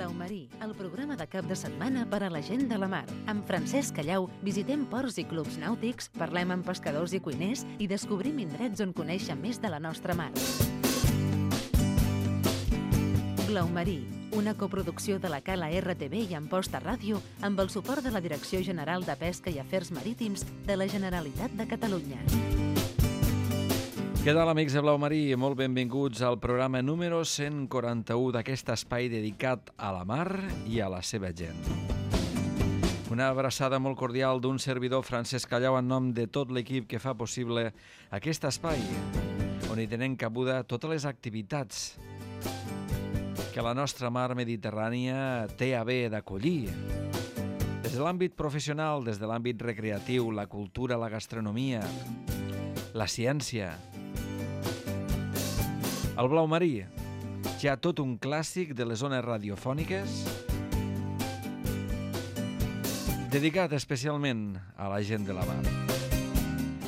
Blau Marí, el programa de cap de setmana per a la gent de la mar. Amb Francesc Callau visitem ports i clubs nàutics, parlem amb pescadors i cuiners i descobrim indrets on conèixer més de la nostra mar. Blau Marí, una coproducció de la Cala RTV i Amposta Ràdio amb el suport de la Direcció General de Pesca i Afers Marítims de la Generalitat de Catalunya. Què tal, amics de Blau Marí? Molt benvinguts al programa número 141 d'aquest espai dedicat a la mar i a la seva gent. Una abraçada molt cordial d'un servidor, Francesc Callau, en nom de tot l'equip que fa possible aquest espai, on hi tenen cabuda totes les activitats que la nostra mar mediterrània té a bé d'acollir. Des de l'àmbit professional, des de l'àmbit recreatiu, la cultura, la gastronomia, la ciència. El Blau Marí, ja tot un clàssic de les zones radiofòniques, dedicat especialment a la gent de la mar.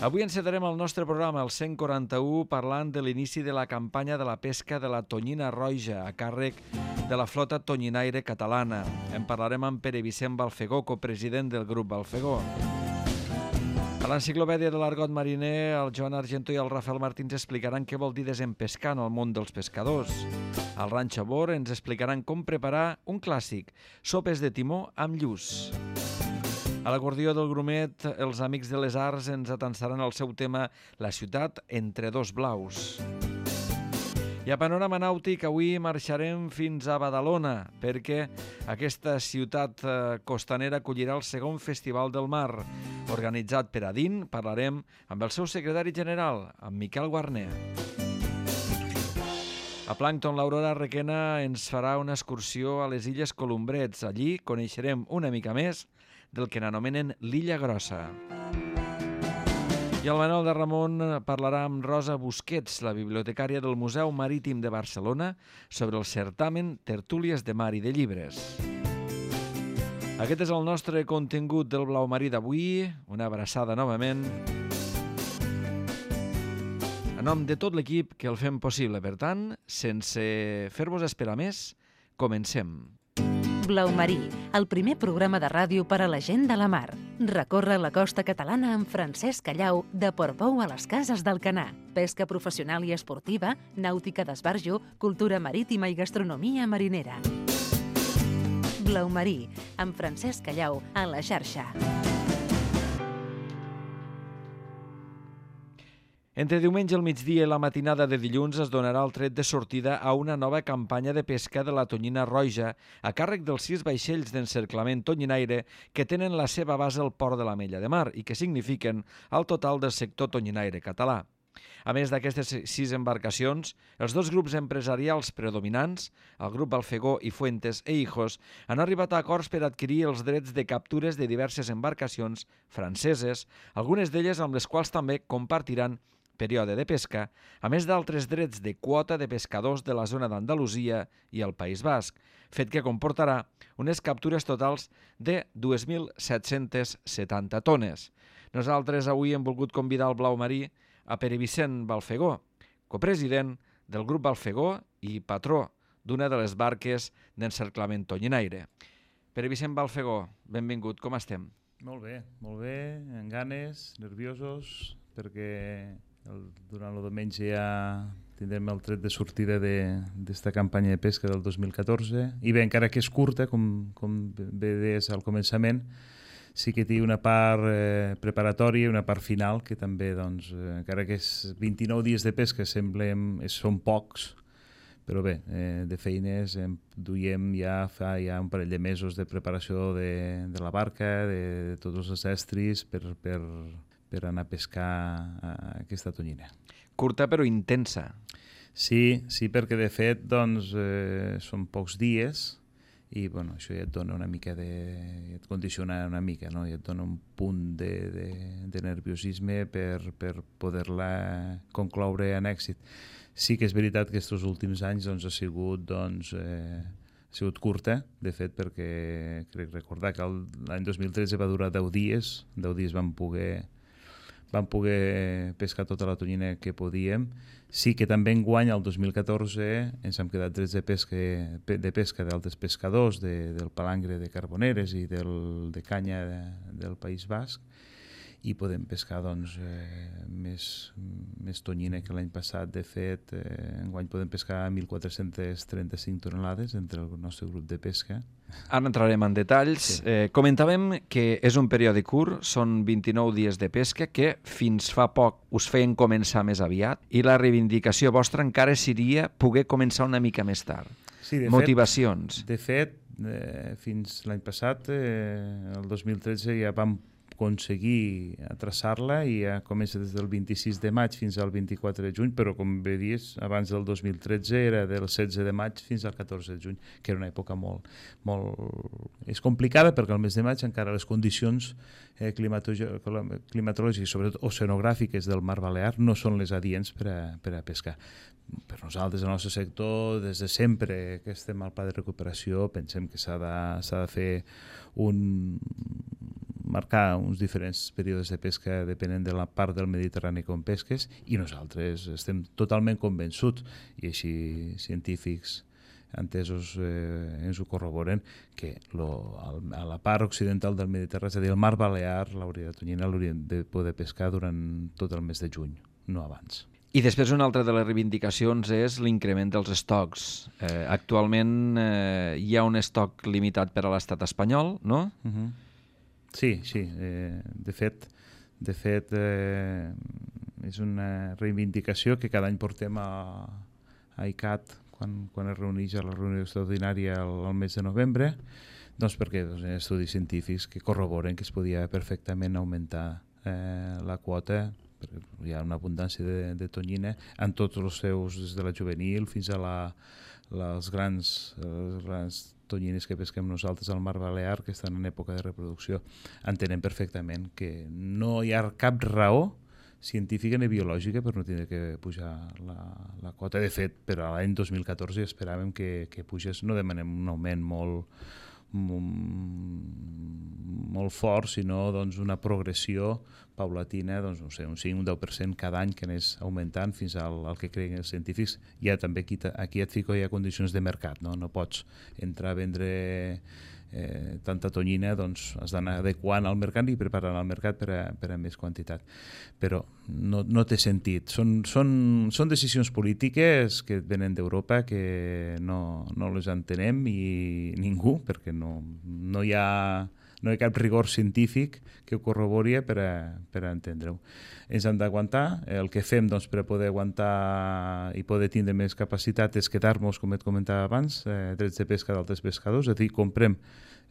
Avui encetarem el nostre programa, el 141, parlant de l'inici de la campanya de la pesca de la tonyina roja a càrrec de la flota tonyinaire catalana. En parlarem amb Pere Vicent Balfegó, copresident del grup Balfegó. A l'enciclopèdia de l'argot mariner, el Joan Argento i el Rafael Martins explicaran què vol dir desempescar en el món dels pescadors. Al Ranxo Bor ens explicaran com preparar un clàssic, sopes de timó amb lluç. A l'acordió del Grumet, els Amics de les Arts ens atansaran el seu tema La ciutat entre dos blaus. I a Panorama Nàutic avui marxarem fins a Badalona, perquè aquesta ciutat costanera acollirà el segon Festival del Mar. Organitzat per ADIN, parlarem amb el seu secretari general, amb Miquel Guarner. A Plàncton, l'Aurora Requena ens farà una excursió a les Illes Columbrets. Allí coneixerem una mica més del que n'anomenen l'Illa Grossa. I el Manol de Ramon parlarà amb Rosa Busquets, la bibliotecària del Museu Marítim de Barcelona, sobre el certamen Tertúlies de Mar i de Llibres. Aquest és el nostre contingut del Blau Marí d'avui. Una abraçada novament. En nom de tot l'equip que el fem possible. Per tant, sense fer-vos esperar més, comencem. Blau Marí, el primer programa de ràdio per a la gent de la mar. Recorre la costa catalana amb Francesc Callau, de Portbou a les Cases d'Alcanar. Pesca professional i esportiva, nàutica d'esbarjo, cultura marítima i gastronomia marinera. Blau Marí, amb Francesc Callau, a la xarxa. Entre diumenge al migdia i la matinada de dilluns es donarà el tret de sortida a una nova campanya de pesca de la tonyina roja a càrrec dels 6 vaixells d'encerclament tonyinaire que tenen la seva base al port de l'Ametlla de Mar i que signifiquen el total del sector tonyinaire català. A més d'aquestes 6 embarcacions, els 2 grups empresarials predominants, el grup Balfegó i Fuentes e Hijos, han arribat a acords per adquirir els drets de captures de diverses embarcacions franceses, algunes d'elles amb les quals també compartiran període de pesca, a més d'altres drets de quota de pescadors de la zona d'Andalusia i el País Basc, fet que comportarà unes captures totals de 2.770 tones. Nosaltres avui hem volgut convidar el Blau Marí a Pere Vicent Balfegó, copresident del grup Balfegó i patró d'una de les barques d'encerclament tonyinaire. Pere Vicent Balfegó, benvingut, com estem? Molt bé, amb ganes, nerviosos, perquè durant el diumenge ja tindrem el tret de sortida d'esta campanya de pesca del 2014. I bé, encara que és curta, com bé deies al començament, sí que té una part preparatòria i una part final que també, doncs, encara que és 29 dies de pesca són pocs, però bé, de feines duiem fa un parell de mesos de preparació de la barca, de tots els estris per anar a pescar aquesta tonyina. Curta però intensa. Sí, perquè de fet doncs, són pocs dies i bueno, això ja et dona una mica et condiciona una mica, no? I et dona un punt de nerviosisme per poder-la concloure en èxit. Sí que és veritat que aquests últims anys doncs, ha sigut curta, de fet, perquè crec recordar que l'any 2013 va durar 10 dies, 10 dies vam poder vam poder pescar tota la tonyina que podíem. Sí que també enguany, el 2014, ens hem quedat drets de pesca d'altres pescadors, del palangre de Carboneres i de canya del País Basc, i podem pescar doncs, més tonyina que l'any passat. De fet, enguany podem pescar 1.435 tonelades entre el nostre grup de pesca. Ara entrarem en detalls. Sí. Comentàvem que és un període curt, són 29 dies de pesca, que fins fa poc us feien començar més aviat, i la reivindicació vostra encara seria poder començar una mica més tard. Sí, motivacions. De fet, fins l'any passat, el 2013, ja vam aconseguir traçar-la i ja comença des del 26 de maig fins al 24 de juny, però com bé dius, abans del 2013 era del 16 de maig fins al 14 de juny, que era una època molt... És complicada perquè al mes de maig encara les condicions climatològiques, sobretot oceanogràfiques del Mar Balear, no són les adients per a pescar. Per nosaltres, el nostre sector, des de sempre que estem al pla de recuperació, pensem que s'ha de fer marcar uns diferents períodes de pesca depenent de la part del Mediterrani com pesques, i nosaltres estem totalment convençuts, i així científics entesos ens ho corroboren, que a la part occidental del Mediterrani, és a dir, el Mar Balear, la tonyina l'hauríem de poder pescar durant tot el mes de juny, no abans. I després una altra de les reivindicacions és l'increment dels estocs. Actualment hi ha un estoc limitat per a l'estat espanyol, no? Sí. De fet, és una reivindicació que cada any portem a ICAT quan es reuneix a la reunió extraordinària al mes de novembre, doncs perquè hi ha estudis científics que corroboren que es podia perfectament augmentar la quota. Hi ha una abundància de tonyina en tots els seus, des de la juvenil fins a les grans tonyines que pesquem nosaltres al Mar Balear, que estan en època de reproducció. Entenem perfectament que no hi ha cap raó científica ni biològica per no tenir que pujar la quota. De fet, per a l'any 2014 esperàvem que pugés, no demanem un augment molt fort, sinó doncs, una progressió paulatina, doncs, no sé, un 5, un 10% cada any que anés augmentant fins al que creuen els científics. Ja també aquí et fico ja condicions de mercat, no pots entrar a vendre tanta tonyina, doncs has d'anar adequant al mercat i preparant el mercat per a més quantitat. Però no té sentit. Són decisions polítiques que venen d'Europa que no les entenem i ningú, perquè no hi ha cap rigor científic que ho corrobori per a entendre-ho. Ens hem d'aguantar. El que fem doncs, per a poder aguantar i poder tindre més capacitat és quedar-nos, com et comentava abans, drets de pesca d'altres pescadors, és a dir, comprem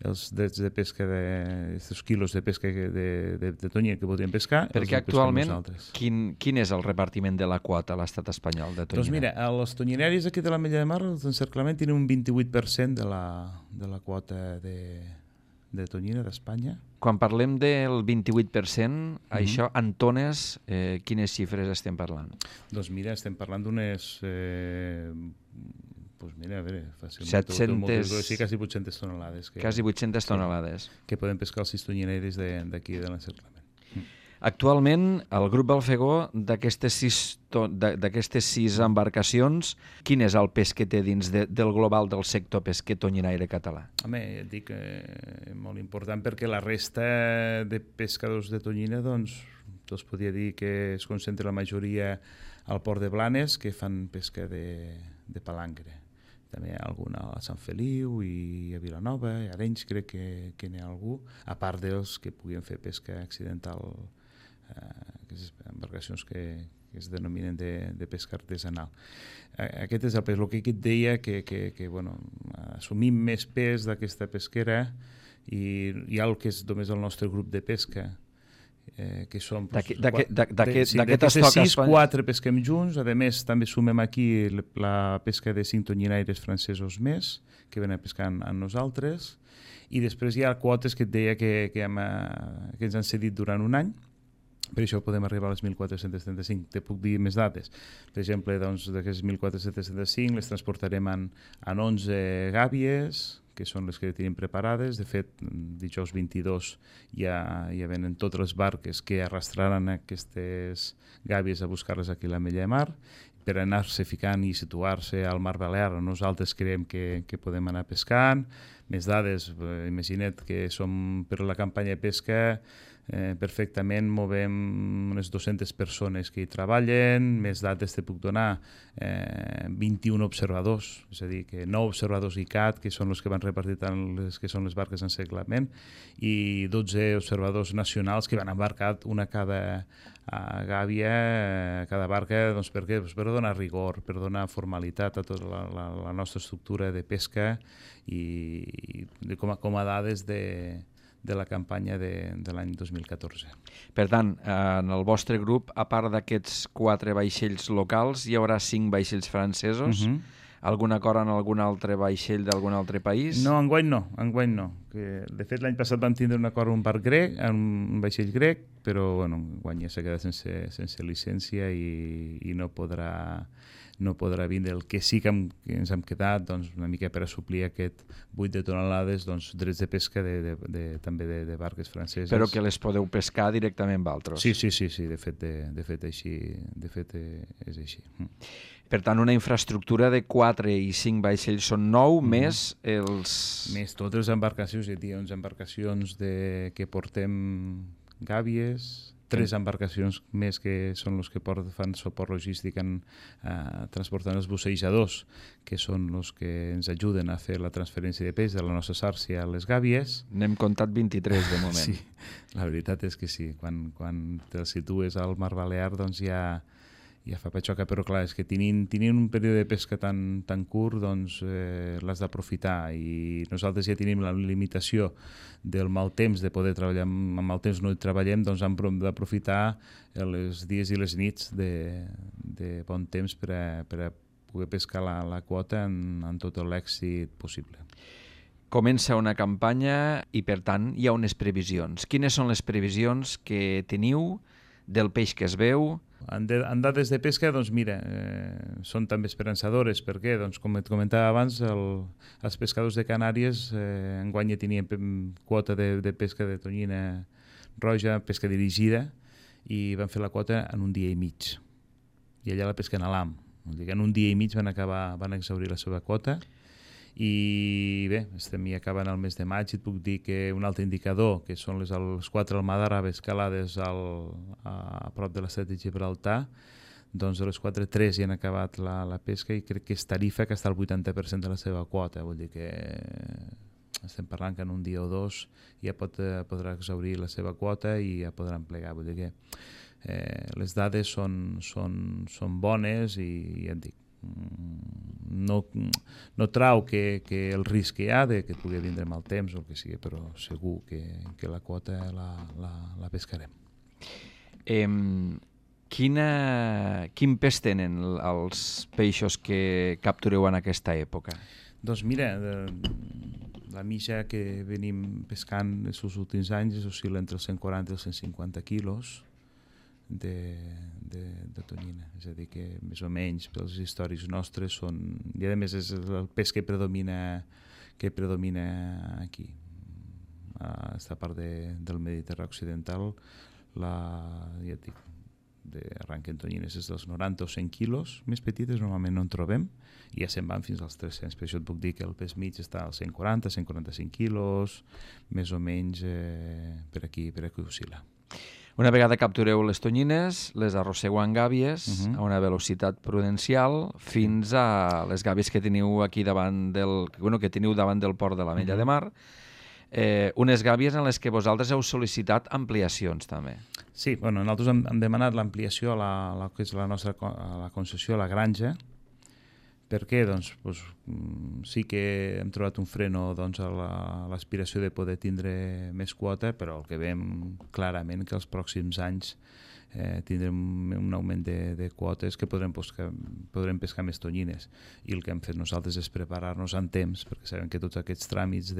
els drets de pesca d'aquests quilos de pesca de tonyina que podríem pescar. Perquè actualment, quin és el repartiment de la quota a l'estat espanyol de tonyina? Doncs mira, els tonyinaris aquí de l'Ametlla de Mar, els d'encerclament, tenen un 28% de la quota de tonyina d'Espanya. Quan parlem del 28%, això en tones, quines xifres estem parlant? Doncs mira, estem parlant d'unes... mira, a veure, fàcilment... 700... Sí, quasi 800 tonelades. Quasi 800 tonelades. Que poden pescar els 6 tonyinaris d'aquí de l'encerclament. Actualment, el grup Balfegó, d'aquestes 6 embarcacions, quin és el pes que té dins del global del sector pesquer tonyinaire català? Home, et dic molt important perquè la resta de pescadors de tonyina, doncs podria dir que es concentra la majoria al port de Blanes, que fan pesca de palangre. També hi ha alguna a Sant Feliu i a Vilanova, i a Arenys crec que n'hi ha algú, a part dels que puguin fer pesca accidental, aquestes embarcacions que es denominen de pesca artesanal. Aquest és el pes. El que et deia que assumim més pes d'aquesta pesquera i hi ha el que és només el nostre grup de pesca, que som... D'aquestes 6, 4 pesquem junts. A més, també sumem aquí la pesca de 5 tonyinaires francesos més, que venen a pescar amb nosaltres, i després hi ha quotes que et deia que ens han cedit durant un any. Per això podem arribar a les 1.435. Te puc dir més dades. Per exemple, doncs, d'aquestes 1.435 les transportarem en 11 gàbies, que són les que tenim preparades. De fet, dijous 22 ja venen totes les barques que arrastraran aquestes gàbies a buscar-les aquí a l'Ametlla de Mar per anar-se ficant i situar-se al Mar Balear. Nosaltres creiem que podem anar pescant. Més dades, imagina't que som per la campanya de pesca, perfectament movem unes 200 persones que hi treballen. Més dades te puc donar, 21 observadors, és a dir, que 9 observadors ICAT, que són els que van repartir tant les que són les barques en seglament, i 12 observadors nacionals que van embarcar una cada gàbia, cada barca. Doncs per què? Per donar rigor, per donar formalitat a tota la nostra estructura de pesca i com a dades de la campanya de l'any 2014. Per tant, en el vostre grup, a part d'aquests 4 vaixells locals, hi haurà 5 vaixells francesos. Algun acord en algun altre vaixell d'algun altre país? No, enguany no. De fet, l'any passat vam tindre un acord amb un barc grec, amb un vaixell grec, però bueno, enguany ja s'ha quedat sense llicència i no podrà vindre. El que sí que ens hem quedat, doncs, una mica per a suplir aquest 8 de tonelades, doncs, drets de pesca també de barques franceses. Però que les podeu pescar directament amb altres? Sí, de fet és així. Per tant, una infraestructura de 4 i 5 vaixells són 9, més els... Més totes les embarcacions, hi ha 11 embarcacions que portem gàbies, 3 embarcacions més que són els que fan suport logístic transportant els bussejadors, que són els que ens ajuden a fer la transferència de peix de la nostra sàrcia a les gàbies. N'hem comptat 23 de moment. Sí, la veritat és que sí. Quan te'l situes al Mar Balear, doncs ja fa patxoca, però clar, és que tenint un període de pesca tan curt, doncs l'has d'aprofitar, i nosaltres ja tenim la limitació del mal temps, de poder treballar amb mal temps, no hi treballem, doncs hem d'aprofitar els dies i les nits de bon temps per a poder pescar la quota en tot l'èxit possible. Comença una campanya i, per tant, hi ha unes previsions. Quines són les previsions que teniu del peix que es veu? En dades de pesca, doncs mira, són també esperançadores. Per què? Doncs com et comentava abans, els pescadors de Canàries enguany ja tenien quota de pesca de tonyina roja, pesca dirigida, i van fer la quota en un dia i mig. I allà la pesquen a l'AM. En un dia i mig van exhaurir la seva quota. I bé, estem ja acabant el mes de maig, i et puc dir que un altre indicador, que són les 4 almadaraves calades a prop de l'estret de Gibraltar, doncs de les 4, 3 ja han acabat la pesca, i crec que és Tarifa, que està al 80% de la seva quota. Vull dir que estem parlant que en un dia o dos ja podrà exhaurir la seva quota i ja podran plegar. Vull dir que les dades són bones, i ja et dic, no trau que el risc que hi ha de que pugui vindre mal temps o el que sigui, però segur que la quota la pescarem. Quin pes tenen els peixos que captureu en aquesta època? Doncs mira, la mitja que venim pescant els últims anys oscil·la entre els 140 i els 150 quilos de tonyina, és a dir que més o menys pels històrics nostres són, i a més és el peix que predomina aquí a aquesta part del Mediterrani occidental. Ja et dic, arrenquen tonyines des dels 90 o 100 quilos, més petites normalment no en trobem, i ja se'n van fins als 300. Per això et puc dir que el peix mig està als 140, 145 quilos, més o menys per aquí oscil·la. Una vegada captureu les tonyines, les arrossegu en gàbies a una velocitat prudencial fins a les gàbies que teniu aquí davant del port de l'Ametlla de Mar. Unes gàbies en les que vosaltres heu sol·licitat ampliacions també. Sí, nosaltres hem demanat l'ampliació a la concessió a la granja. Per què? Doncs sí que hem trobat un freno a l'aspiració de poder tindre més quota, però el que veiem clarament que els pròxims anys tindrem un augment de quotes que podrem pescar més tonyines. I el que hem fet nosaltres és preparar-nos en temps, perquè sabem que tots aquests tràmits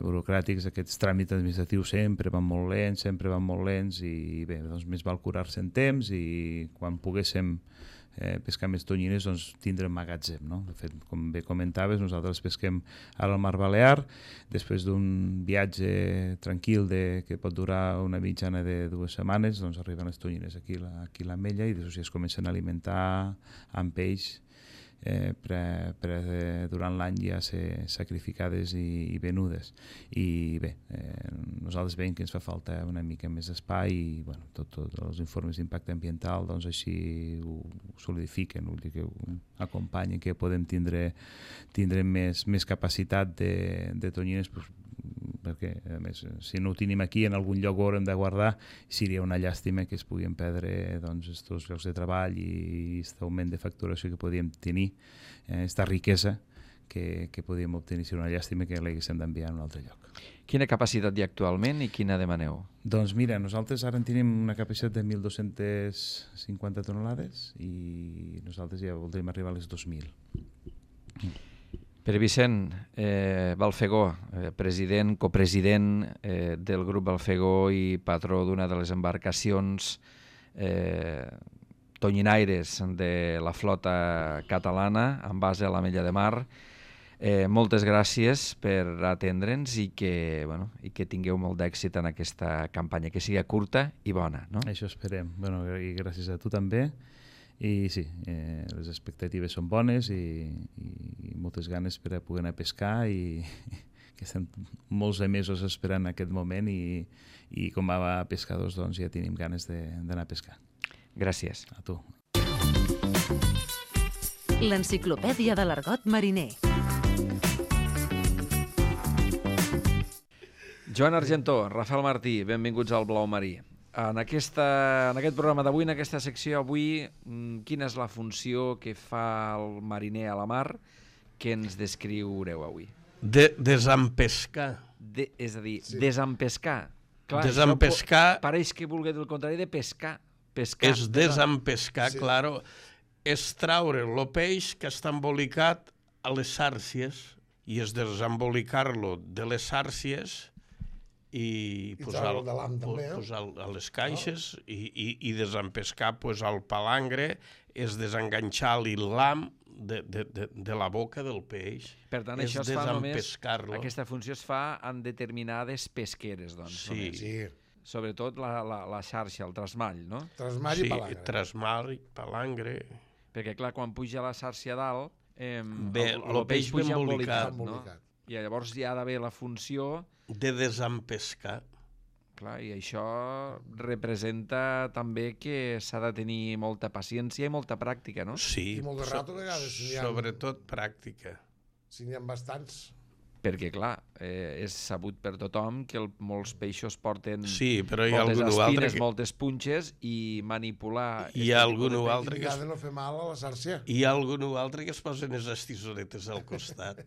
burocràtics, aquests tràmits administratius sempre van molt lents, i bé, doncs més val curar-se en temps, i quan poguéssim pescar més tonyines, doncs tindre magatzem, no? De fet, com bé comentaves, nosaltres pesquem al Mar Balear, després d'un viatge tranquil que pot durar una mitjana de 2 setmanes, doncs arriben les tonyines aquí a l'Ametlla i després ja es comencen a alimentar amb peix durant l'any ja ser sacrificades i venudes. I bé, nosaltres veiem que ens fa falta una mica més espai i bueno, tots els informes d'impacte ambiental doncs així ho solidifiquen, vull dir que ho acompanyen, que podem tindre més capacitat de tonyines, perquè a més si no ho tenim aquí en algun lloc ho haurem de guardar, seria una llàstima que es puguin perdre doncs estos llocs de treball i aquest augment de facturació que podíem tenir, aquesta riquesa que podíem obtenir, seria una llàstima que l'haguéssim d'enviar a un altre lloc. Quina capacitat hi ha actualment i quina demaneu? Doncs mira, nosaltres ara en tenim una capacitat de 1.250 tonelades i nosaltres ja voldríem arribar a les 2.000. Pere Vicent Balfegó, president, copresident del grup Balfegó i patró d'una de les embarcacions tonyinaires de la flota catalana amb base a l'Ametlla de Mar. Moltes gràcies per atendre'ns i que tingueu molt d'èxit en aquesta campanya, que sigui curta i bona. No? Això esperem. I gràcies a tu també. I sí, les expectatives són bones i moltes ganes per a poder anar a pescar i que estem molts de mesos esperant aquest moment i com a pescadors doncs ja tenim ganes d'anar a pescar. Gràcies. A tu. L'enciclopèdia de l'argot mariner. Joan Argentó, Rafael Martí, benvinguts al Blau Marí. En aquest programa d'avui, en aquesta secció avui, quina és la funció que fa el mariner a la mar que ens descriureu avui? Desempescar. És a dir, desempescar. Clar, Desempescar. Pareix que vulgui dir el contrari de pescar. És desempescar, sí. Claro. És traure el peix que està embolicat a les xàrcies i és desembolicar-lo de les xàrcies i posar a les caixes i desempescar el palangre és desenganxar l'ham de la boca del peix. Per tant, això es fa només, aquesta funció es fa en determinades pesqueres, doncs. Sí. Sobretot la xarxa, el trasmall, no? Trasmall i palangre. Sí, trasmall i palangre. Perquè, clar, quan puja la xarxa a dalt, el peix puja embolicat, no? I llavors hi ha d'haver la funció de desempescar. Clar, i això representa també que s'ha de tenir molta paciència i molta pràctica, no? Sí, i molt de rato a vegades. Sobretot pràctica. Si n'hi ha bastants. Perquè, clar, és sabut per tothom que molts peixos porten moltes espines, moltes punxes i manipular... Hi ha algun altre que no fer mal a la xarxa. Hi ha algun altre que es posen les estisoretes al costat.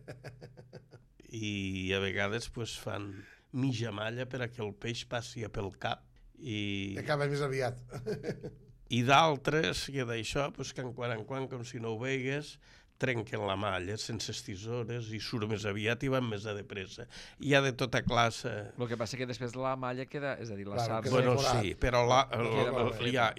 I a vegades fan mitja malla per a que el peix passi pel cap i acaba més aviat. I d'altres que d'això, que en quan, com si no ho veigues, trenquen la malla sense estisores i surt més aviat i van més de pressa. Hi ha de tota classe. El que passa que després la malla queda, és a dir, la xarxa... Bueno, sí, però ja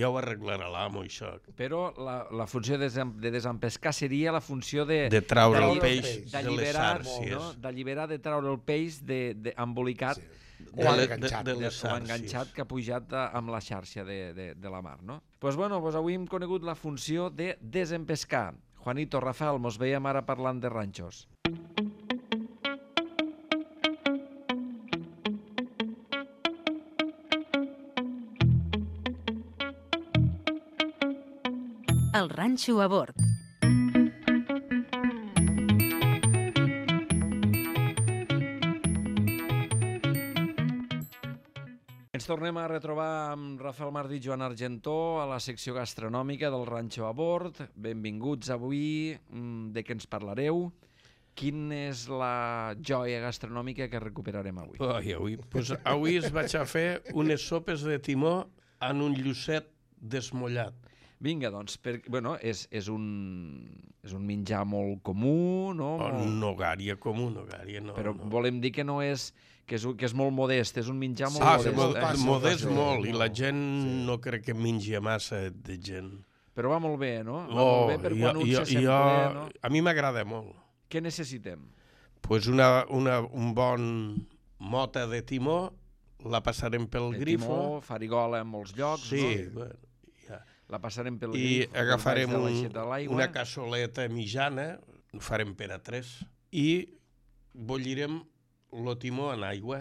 ho arreglarà l'amo, això. Però la funció de desempescar seria la funció de traure el peix de les xàrcies. D'alliberar, de traure el peix embolicat o enganxat que ha pujat amb la xarxa de la mar, no? Doncs avui hem conegut la funció de desempescar. Juanito, Rafael, mos veiem ara parlant de ranxos. El ranxo a bord. Ens tornem a retrobar amb Rafael Martí i Joan Argentó a la secció gastronòmica del Ranxo a Bord. Benvinguts avui. De què ens parlareu? Quina és la joia gastronòmica que recuperarem avui? Avui es vaig a fer unes sopes de timó en un llucet desmollat. Vinga, doncs, és un menjar molt comú, no? Nogària comú, nogària no. Però volem dir que no és... que és molt modest, és un menjar molt modest. Modest molt, i la gent no crec que mengi massa de gent. Però va molt bé, no? Va molt bé per quan un se sent ple, no? A mi m'agrada molt. Què necessitem? Pues un bon mota de timó, la passarem pel grifo. Timó, farigola en molts llocs, sí, no? bueno, ja. La passarem pel I grifo. agafarem una una cassoleta mitjana, ho farem per a 3, i bullirem el timó en aigua.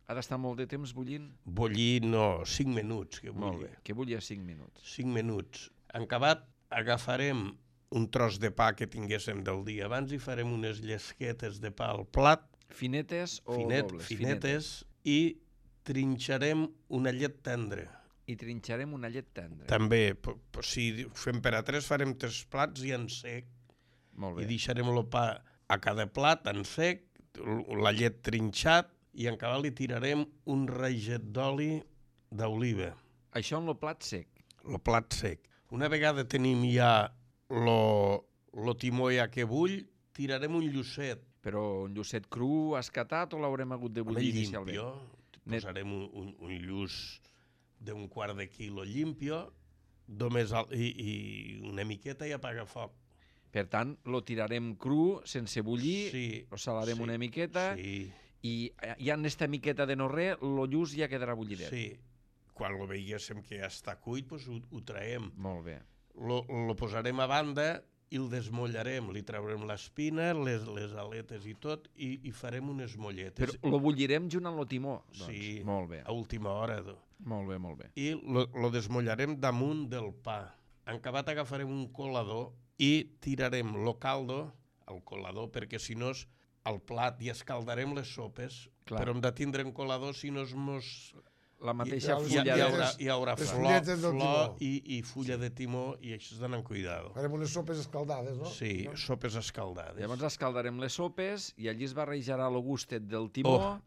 Ha d'estar molt de temps bullint? Bullir, no, 5 minuts. Que Molt bé, que bulli a 5 minuts. 5 minuts. En acabat, agafarem un tros de pa que tinguéssim del dia abans i farem unes llesquetes de pa al plat. Finetes o dobles? Finetes. I trinxarem una llet tendra. I trinxarem una llet tendra. També, si fem per a 3, farem 3 plats i en sec. Molt bé. I deixarem el pa a cada plat en sec, la llet trinxat, i en acabat li tirarem un raget d'oli d'oliva. Això en el plat sec. El plat sec. Una vegada tenim ja el timó ja que bull, tirarem un llucet. Però un llucet cru, escatat, o l'haurem hagut de bullir inicialment? Posarem un lluç d'un quart de quilo llimpio, i una miqueta i apaga foc. Per tant, lo tirarem cru, sense bullir, lo salarem una miqueta, i ja en esta miqueta de no res, el lluç ja quedarà bullidet. Sí. Quan lo veiéssim que ja està cuit, doncs ho traiem. Molt bé. Lo posarem a banda i el desmollarem. Li traurem l'espina, les aletes i tot, i farem unes molletes. Però lo bullirem junt amb el timó? Doncs. Sí, molt bé. A última hora. Molt bé, molt bé. I lo desmollarem damunt del pa. En acabat agafarem un colador i tirarem lo caldo al colador, perquè si no al plat i escaldarem les sopes. Clar. Però hem de tindre un colador, si no la mateixa fulla hi haurà flor i fulla de timó, i això és d'anar amb cuidado. Farem unes sopes escaldades, no? Sí, sopes escaldades. Llavors escaldarem les sopes i allí es barrejarà el gustet del timó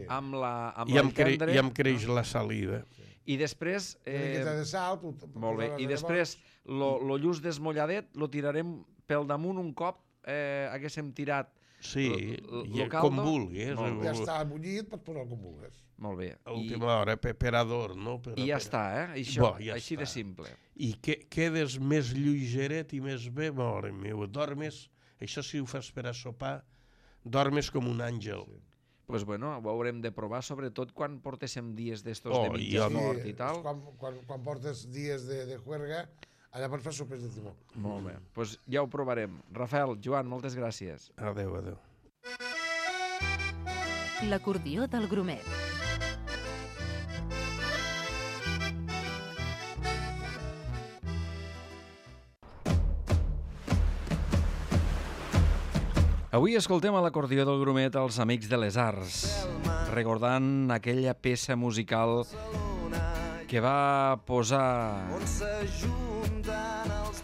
amb la tendre. I em creix la saliva. I després... Una miqueta de sal. Molt bé. I després el lluç desmolladet lo tirarem pel damunt un cop haguéssim tirat. Sí, com vulguis. Ja està bullit, pots posar com vulguis. Molt bé. A última hora, per adorn, no? I ja està, Això, així de simple. I quedes més lleugeret i més bé, mare meva, dormes, això si ho fas per a sopar, dormes com un àngel. Doncs bueno, ho haurem de provar, sobretot quan portéssim dies d'estos de mitja mort i tal. Quan portes dies de juerga, allà pots fer sopes de timó. Molt bé, doncs ja ho provarem. Rafael, Joan, moltes gràcies. Adéu, adéu. L'acordió del Grumet. Avui escoltem a l'acordió del Grumet els Amics de les Arts, recordant aquella peça musical que va posar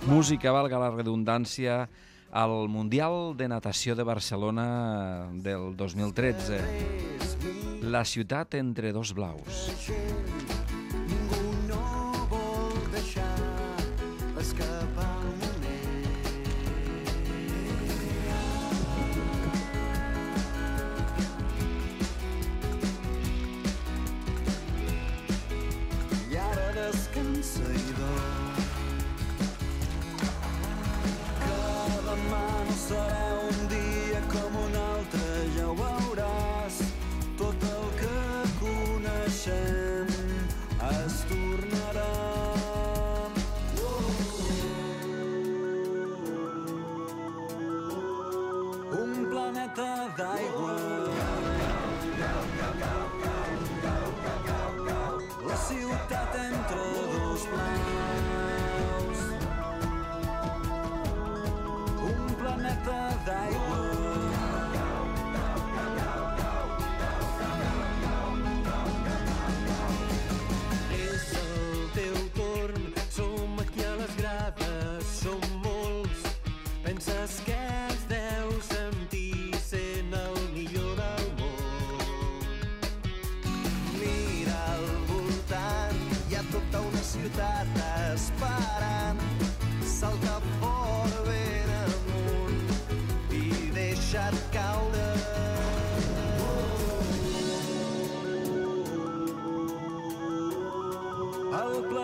música, valga la redundància, al Mundial de Natació de Barcelona del 2013. La ciutat entre dos blaus.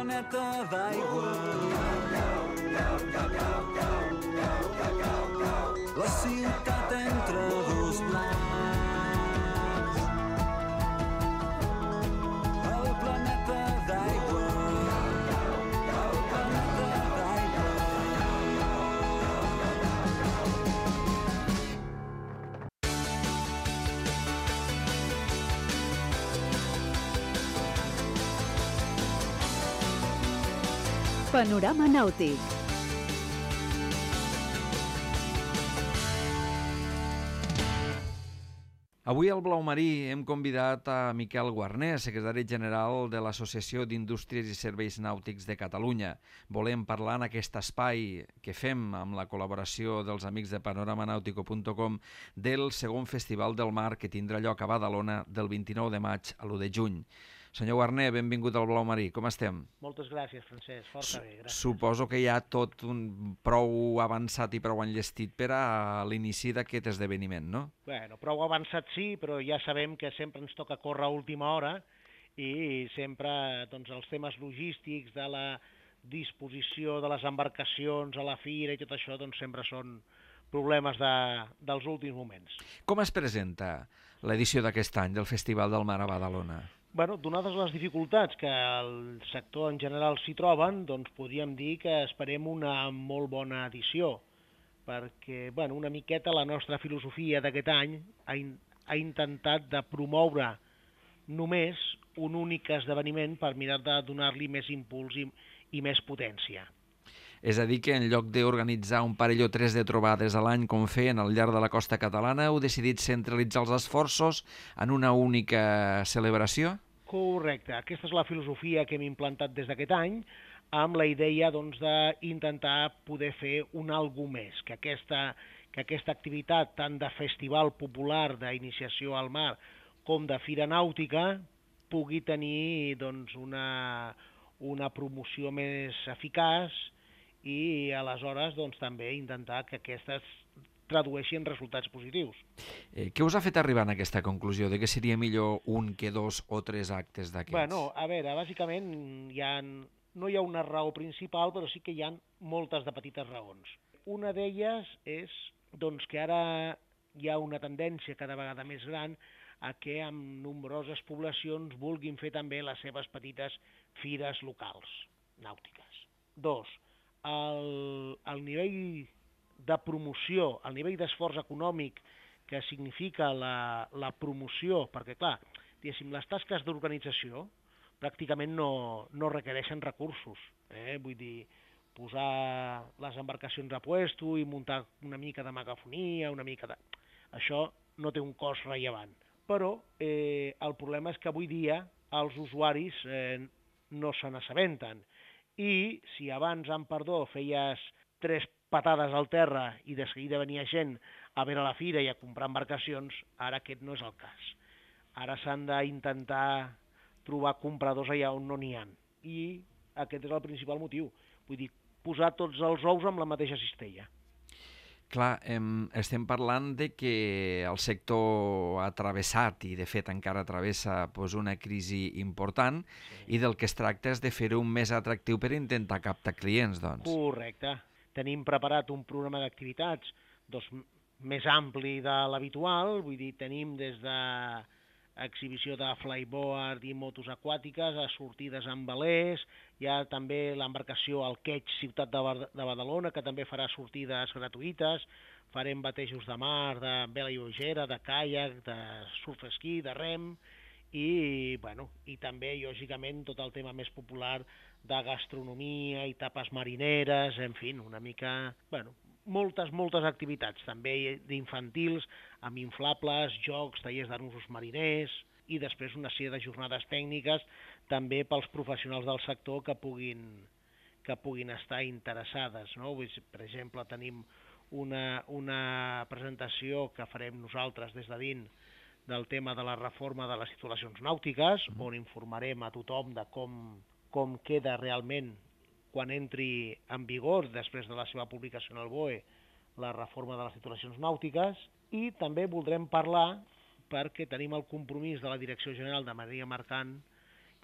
planeta d'aigua. La ciutat entre dos blancs, el planeta d'aigua, el planeta d'aigua. Panorama nàutic. Avui al Blau Marí hem convidat a Miquel Guarner, secretari general de l'Associació d'Indústries i Serveis Nàutics de Catalunya. Volem parlar en aquest espai que fem amb la col·laboració dels amics de panoramanàutico.com del segon Festival del Mar que tindrà lloc a Badalona del 29 de maig a l'1 de juny. Senyor Guarner, benvingut al Blau Marí. Com estem? Moltes gràcies, Francesc. Força bé, gràcies. Suposo que hi ha tot un prou avançat i prou enllestit per a l'inici d'aquest esdeveniment, no? Bueno, prou avançat sí, però ja sabem que sempre ens toca córrer a última hora i sempre doncs, els temes logístics de la disposició de les embarcacions a la fira i tot això doncs, sempre són problemes dels últims moments. Com es presenta l'edició d'aquest any del Festival del Mar a Badalona? Bueno, donades les dificultats que el sector en general s'hi troben, doncs podríem dir que esperem una molt bona edició, perquè bueno, una miqueta la nostra filosofia d'aquest any ha intentat de promoure només un únic esdeveniment per mirar de donar-li més impuls i més potència. És a dir, que en lloc d'organitzar un parell o tres de trobades a l'any com feien al llarg de la costa catalana, heu decidit centralitzar els esforços en una única celebració? Correcte. Aquesta és la filosofia que hem implantat des d'aquest any, amb la idea doncs, d'intentar poder fer un algo més, que aquesta activitat tant de festival popular d'iniciació al mar com de fira nàutica pugui tenir doncs, una promoció més eficaç i aleshores doncs, també intentar que aquestes tradueixin resultats positius. Què us ha fet arribar a aquesta conclusió de que seria millor un que dos o tres actes d'aquests? Bueno, a veure, bàsicament no hi ha una raó principal, però sí que hi ha moltes de petites raons. Una d'elles és doncs, que ara hi ha una tendència cada vegada més gran a que amb nombroses poblacions vulguin fer també les seves petites fires locals, nàutiques. Dos, el nivell de promoció, el nivell d'esforç econòmic que significa la promoció, perquè clar, diguéssim, les tasques d'organització pràcticament no requereixen recursos, vull dir, posar les embarcacions a puesto i muntar una mica de megafonia, això no té un cost rellevant. Però el problema és que avui dia els usuaris no se n'assabenten i si abans, amb perdó, feies 3 patades al terra i de seguida venia gent a veure la fira i a comprar embarcacions, ara aquest no és el cas. Ara s'han d'intentar trobar compradors allà on no n'hi ha. I aquest és el principal motiu. Vull dir, posar tots els ous amb la mateixa cistella. Clar, estem parlant de que el sector ha travessat i de fet encara travessa una crisi important i del que es tracta és de fer-ho més atractiu per intentar captar clients, doncs. Correcte. Tenim preparat un programa d'activitats més ampli de l'habitual, vull dir, tenim des d'exhibició de flyboard i motos aquàtiques a sortides amb velers, hi ha també l'embarcació al Queig Ciutat de Badalona, que també farà sortides gratuïtes, farem batejos de mar, de vela lleugera, de caiac, de surf esquí, de rem, i també, lògicament, tot el tema més popular de gastronomia i tapes marineres, en fi, una mica, moltes activitats, també d'infantils, amb inflables, jocs, tallers d'usos mariners, i després una sèrie de jornades tècniques també pels professionals del sector que puguin estar interessades, no? Per exemple, tenim una presentació que farem nosaltres des de dins del tema de la reforma de les titulacions nàutiques, on informarem a tothom de com queda realment quan entri en vigor, després de la seva publicació en el BOE, la reforma de les titulacions nàutiques, i també voldrem parlar, perquè tenim el compromís de la Direcció General de Marina Mercant,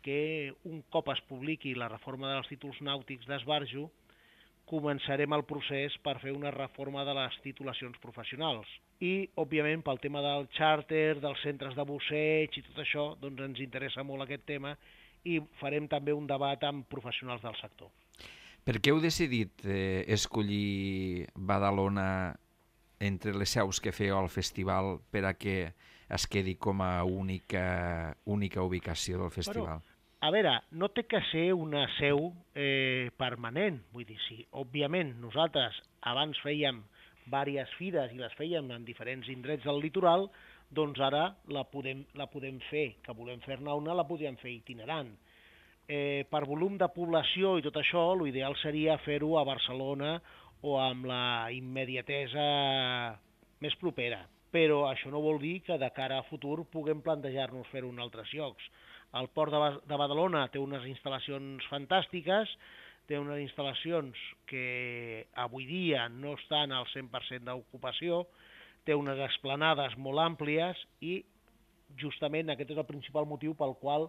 que un cop es publiqui la reforma dels títols nàutics d'esbarjo, començarem el procés per fer una reforma de les titulacions professionals. I, òbviament, pel tema del xàrter, dels centres de busseig i tot això, doncs ens interessa molt aquest tema i farem també un debat amb professionals del sector. Per què heu decidit escollir Badalona entre les seus que fèieu al festival per a que es quedi com a única ubicació del festival? Bueno, a veure, no té que ser una seu permanent. Vull dir, sí, òbviament nosaltres abans fèiem diverses fires i les fèiem en diferents indrets del litoral, doncs ara la podem fer, que volem fer-ne una, la podríem fer itinerant. Per volum de població i tot això, l'ideal seria fer-ho a Barcelona o amb la immediatesa més propera. Però això no vol dir que de cara a futur puguem plantejar-nos fer-ho en altres llocs. El Port de Badalona té unes instal·lacions fantàstiques, té unes instal·lacions que avui dia no estan al 100% d'ocupació, té unes esplanades molt àmplies i justament aquest és el principal motiu pel qual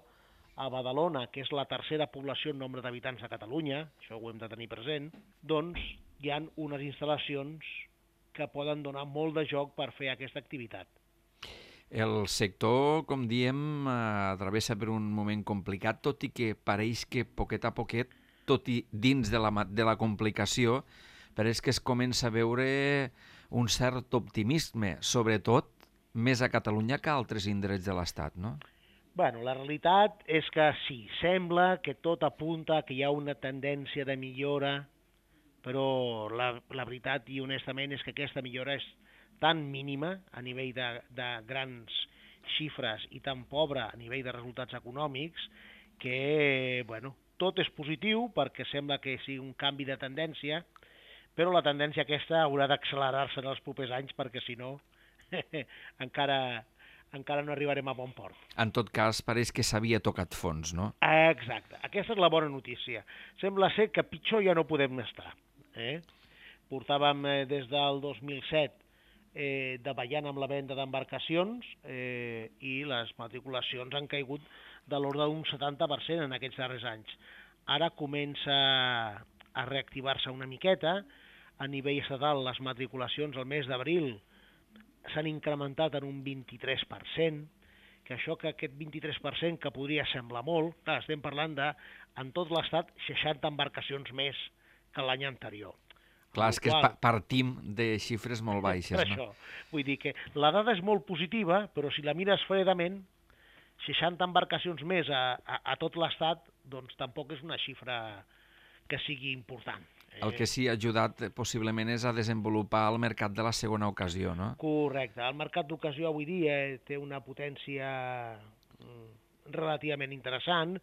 a Badalona, que és la tercera població en nombre d'habitants de Catalunya, això ho hem de tenir present, doncs hi ha unes instal·lacions que poden donar molt de joc per fer aquesta activitat. El sector, com diem, travessa per un moment complicat, tot i que pareix que poquet a poquet, tot i dins de la complicació, pareix que es comença a veure un cert optimisme, sobretot més a Catalunya que a altres indrets de l'Estat, no? Bueno, la realitat és que sí, sembla que tot apunta que hi ha una tendència de millora, però la veritat i honestament és que aquesta millora és tan mínima a nivell de grans xifres i tan pobra a nivell de resultats econòmics que, bueno, tot és positiu perquè sembla que sigui un canvi de tendència, però la tendència aquesta haurà d'accelerar-se en els propers anys perquè si no encara no arribarem a bon port. En tot cas, pareix que s'havia tocat fons, no? Exacte. Aquesta és la bona notícia. Sembla ser que pitjor ja no podem estar. Portàvem des del 2007 davallant amb la venda d'embarcacions i les matriculacions han caigut de l'ordre d'un 70% en aquests darrers anys. Ara comença a reactivar-se una miqueta. A nivell estatal, les matriculacions al mes d'abril s'han incrementat en un 23%, que aquest 23% que podria semblar molt, clar, estem parlant de, en tot l'estat, 60 embarcacions més que l'any anterior. Clar, és que partim de xifres molt baixes, no? Això. Vull dir que la dada és molt positiva, però si la mires fredament, 60 embarcacions més a tot l'estat, doncs tampoc és una xifra que sigui important. El que sí ha ajudat possiblement és a desenvolupar el mercat de la segona ocasió, no? Correcte. El mercat d'ocasió avui dia té una potència relativament interessant.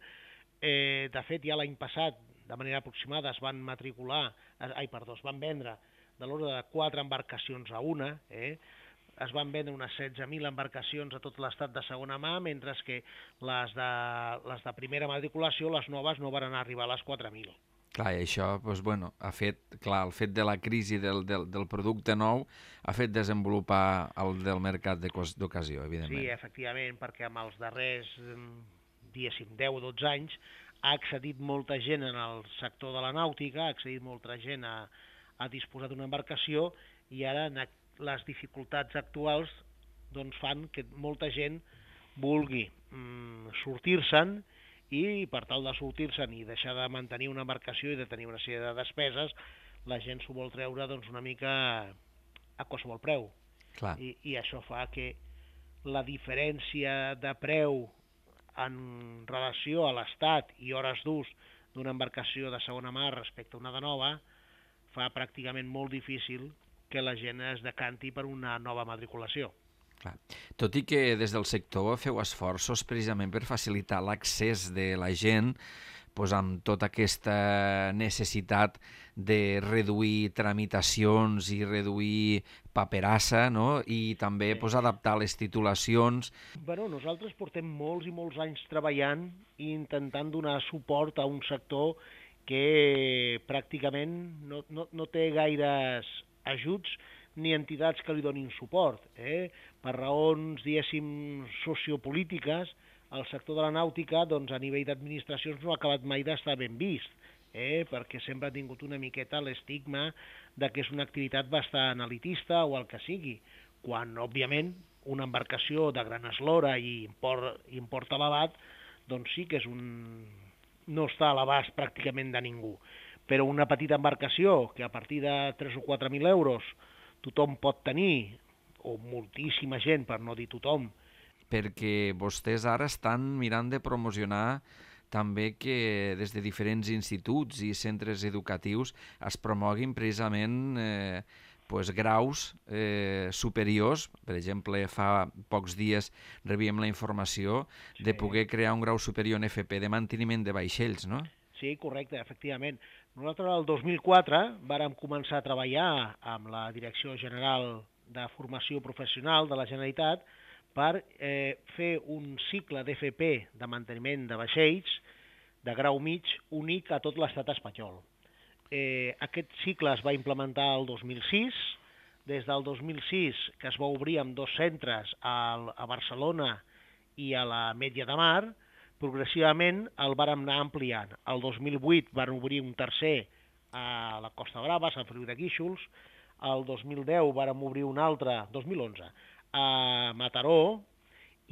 De fet, ja l'any passat, de manera aproximada, es van vendre de l'ordre de 4 embarcacions a una. Es van vendre unes 16.000 embarcacions a tot l'estat de segona mà, mentre que les de primera matriculació, les noves, no van arribar a les 4.000. Clar, i això, doncs, bueno, el fet de la crisi del producte nou ha fet desenvolupar el del mercat d'ocasió, evidentment. Sí, efectivament, perquè amb els darrers, diguéssim, 10 o 12 anys ha accedit molta gent en el sector de la nàutica, ha accedit molta gent a disposar d'una embarcació i ara les dificultats actuals doncs, fan que molta gent vulgui sortir-se'n i per tal de sortir-se'n i deixar de mantenir una embarcació i de tenir una sèrie de despeses, la gent s'ho vol treure doncs, una mica a qualsevol preu. Clar. I això fa que la diferència de preu en relació a l'estat i hores d'ús d'una embarcació de segona mà respecte a una de nova fa pràcticament molt difícil que la gent es decanti per una nova matriculació. Clar. Tot i que des del sector feu esforços precisament per facilitar l'accés de la gent amb tota aquesta necessitat de reduir tramitacions i reduir paperassa, no? I també adaptar les titulacions. Bueno, nosaltres portem molts i molts anys treballant i intentant donar suport a un sector que pràcticament no té gaires ajuts ni entitats que li donin suport. Per raons, diguéssim, sociopolítiques, el sector de la nàutica, doncs, a nivell d'administracions no ha acabat mai d'estar ben vist. perquè sempre ha tingut una miqueta l'estigma de que és una activitat bastant elitista o el que sigui, quan, òbviament, una embarcació de gran eslora i import elevat, doncs sí que no està a l'abast pràcticament de ningú. Però una petita embarcació que a partir de 3 o 4.000 euros tothom pot tenir, o moltíssima gent, per no dir tothom. Perquè vostès ara estan mirant de promocionar també que des de diferents instituts i centres educatius es promoguin precisament graus superiors. Per exemple, fa pocs dies rebíem la informació de poder crear un grau superior en FP de manteniment de vaixells, no? Sí, correcte, efectivament. Nosaltres el 2004 vàrem començar a treballar amb la Direcció General de Formació Professional de la Generalitat per fer un cicle d'FP de manteniment de vaixells de grau mig únic a tot l'estat espanyol. Aquest cicle es va implementar el 2006, des del 2006 que es va obrir amb 2 centres a Barcelona i a la Metlla de Mar, progressivament el vàrem anar ampliant. El 2008 van obrir un tercer a la Costa Brava, a Sant Feliu de Guíxols, el 2010 vàrem obrir un altre, 2011, a Mataró,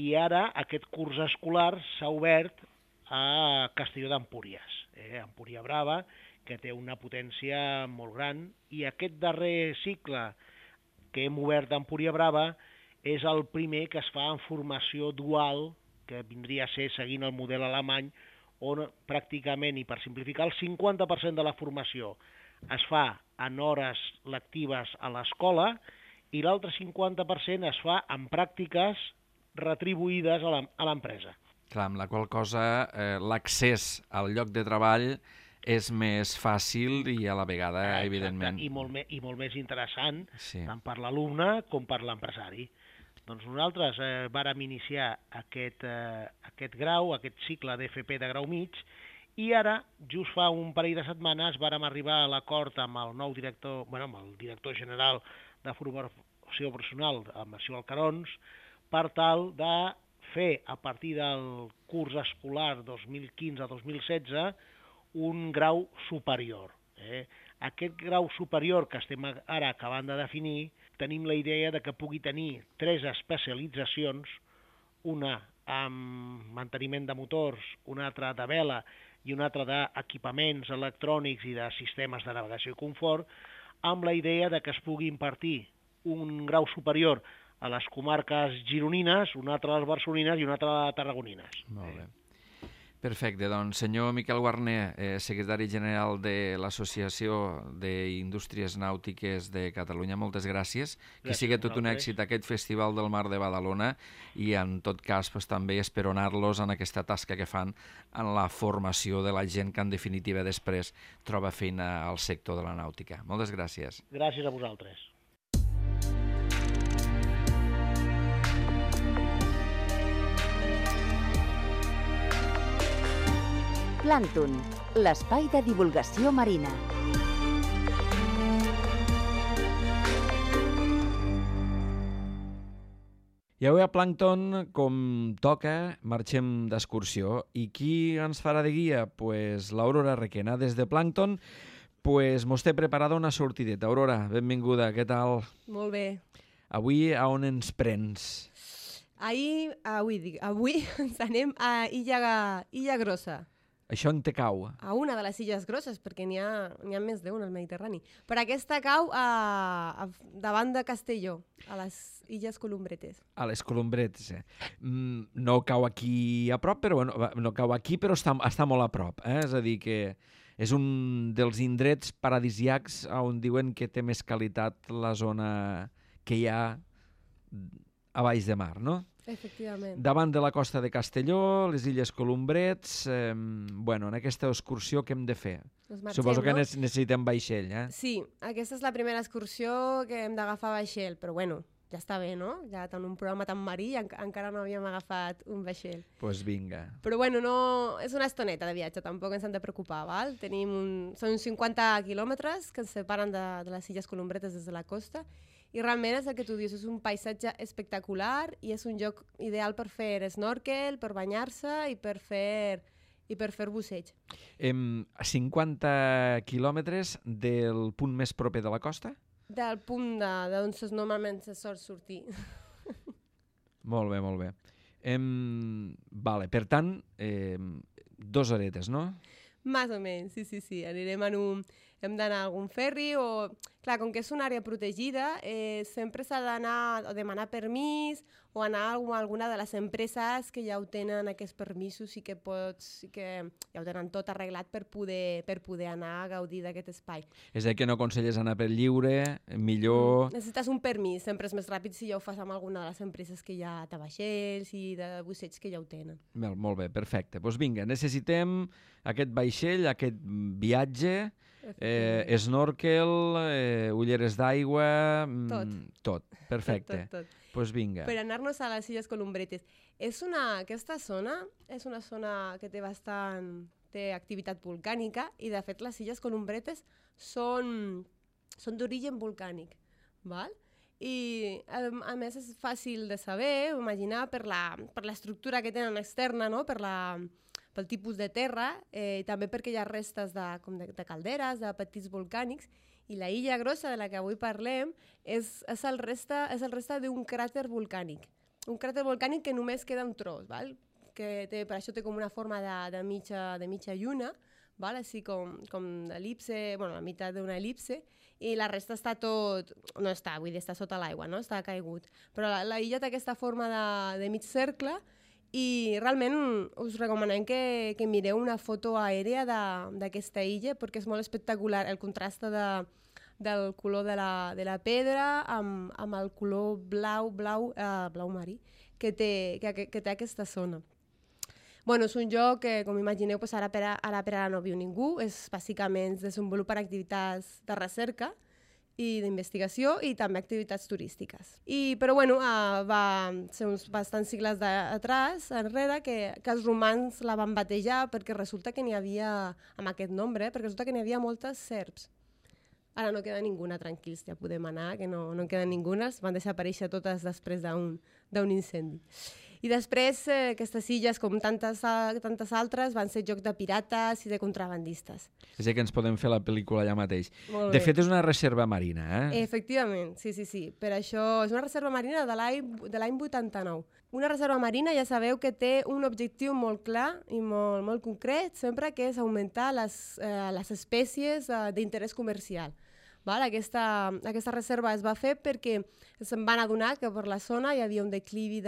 i ara aquest curs escolar s'ha obert a Castelló d'Empúries, Empúria Brava, que té una potència molt gran, i aquest darrer cicle que hem obert d'Empúria Brava és el primer que es fa en formació dual, que vindria a ser seguint el model alemany, on pràcticament, i per simplificar, el 50% de la formació es fa en hores lectives a l'escola i l'altre 50% es fa en pràctiques retribuïdes a l'empresa. Clar, amb la qual cosa l'accés al lloc de treball és més fàcil i a la vegada, evidentment... I molt més interessant, sí, tant per l'alumne com per l'empresari. Doncs nosaltres vàrem iniciar aquest grau, aquest cicle d'FP de grau mig, i ara, just fa un parell de setmanes, vàrem arribar a l'acord amb el nou director, amb el director general de formació professional, amb el senyor Alcarons, per tal de fer, a partir del curs escolar 2015-2016, un grau superior. Aquest grau superior que estem ara acabant de definir, tenim la idea de que pugui tenir 3 especialitzacions, una amb manteniment de motors, una altra de vela i una altra d'equipaments electrònics i de sistemes de navegació i confort, amb la idea de que es pugui impartir un grau superior a les comarques gironines, una altra a les barcelonines i una altra a les tarragonines. Molt bé. Perfecte, doncs senyor Miquel Guarner, secretari general de l'Associació d'Indústries Nàutiques de Catalunya, moltes gràcies. Que sigui tot un èxit aquest Festival del Mar de Badalona i en tot cas també esperonar-los en aquesta tasca que fan en la formació de la gent que en definitiva després troba feina al sector de la nàutica. Moltes gràcies. Gràcies a vosaltres. Plàncton, l'espai de divulgació marina. I avui a Plàncton, com toca, marxem d'excursió. I qui ens farà de guia? Pues l'Aurora Requena. Des de Plàncton mos té preparada una sortideta. Aurora, benvinguda, què tal? Molt bé. Avui a on ens prens? Avui ens anem a Illa Grossa. Això on te cau? A una de les Illes Grosses, perquè n'hi ha més d'una al Mediterrani. Però aquesta cau davant de Castelló, a les Illes Columbretes. A les Columbretes, No cau aquí a prop, però no cau aquí, però està molt a prop. És a dir, que és un dels indrets paradisiacs on diuen que té més qualitat la zona que hi ha a baix de mar, no? Efectivament. Davant de la costa de Castelló, les Illes Columbrets, en aquesta excursió què hem de fer? Suposo que necessitem vaixell, Sí, aquesta és la primera excursió que hem d'agafar vaixell, però ja està bé, no? Ja en un programa tan marí encara no havíem agafat un vaixell. Doncs vinga. Però no, és una estoneta de viatge, tampoc ens hem de preocupar, val? Són 50 quilòmetres que ens separen de les Illes Columbretes des de la costa, i realment és el que tu dius, és un paisatge espectacular i és un lloc ideal per fer snorkel, per banyar-se i per fer i per fer busseig. 50 quilòmetres del punt més proper de la costa? Del punt d'on normalment se sol sortir. Molt bé, molt bé. Vale, per tant, 2 horetes, no? Més o menys, sí. Anirem hem d'anar a algun ferri o... Clar, com que és una àrea protegida, sempre s'ha d'anar o demanar permís o anar a alguna de les empreses que ja ho tenen aquests permisos i que ja ho tenen tot arreglat per poder anar a gaudir d'aquest espai. És a dir, que no aconselles anar per lliure, millor... Necessites un permís, sempre és més ràpid si ja ho fas amb alguna de les empreses que ja de vaixells i de busseig que ja ho tenen. Molt bé, perfecte. Doncs vinga, necessitem aquest vaixell, aquest viatge, snorkel, ulleres d'aigua... Tot, perfecte. Tot. Doncs vinga. Per anar-nos a les Illes Columbretes. Aquesta zona és una zona que té activitat volcànica i, de fet, les Illes Columbretes són d'origen volcànic, val? I, a més, és fàcil de saber, imaginar, per l'estructura que tenen externa, no? Pel tipus de terra, i també perquè hi ha restes de calderes, de petits volcànics, i la illa grossa de la que avui parlem és el resta d'un cràter volcànic. Un cràter volcànic que només queda un tros, val? Per això té com una forma de mitja lluna, val? Així com d'el·lipse, la meitat d'una el·lipse, i la resta està no està, vull dir, està sota l'aigua, no? Està caigut. Però la illa té aquesta forma de mig cercle i realment us recomanem que mireu una foto aèria d'aquesta illa perquè és molt espectacular el contrast del color de la pedra amb el color blau marí que té aquesta zona. És un lloc que, com imagineu, ara per ara no viu ningú, bàsicament es desenvolupen activitats de recerca i d'investigació i també activitats turístiques. Però va ser uns bastants segles enrere que els romans la van batejar perquè resulta que n'hi havia, amb aquest nombre, perquè resulta que n'hi havia moltes serps. Ara no queda ninguna, tranquils, ja podem anar, que no en queda ninguna, van desaparèixer totes després d'un incendi. I després aquestes illes, com tantes altres, van ser lloc de pirates i de contrabandistes. És a dir, que ens podem fer la pel·lícula allà mateix. De fet, és una reserva marina, eh? Efectivament, sí. Per això és una reserva marina de l'any 89. Una reserva marina, ja sabeu que té un objectiu molt clar i molt concret, sempre que és augmentar les espècies d'interès comercial. Aquesta reserva es va fer perquè se'n van adonar que per la zona hi havia un declivi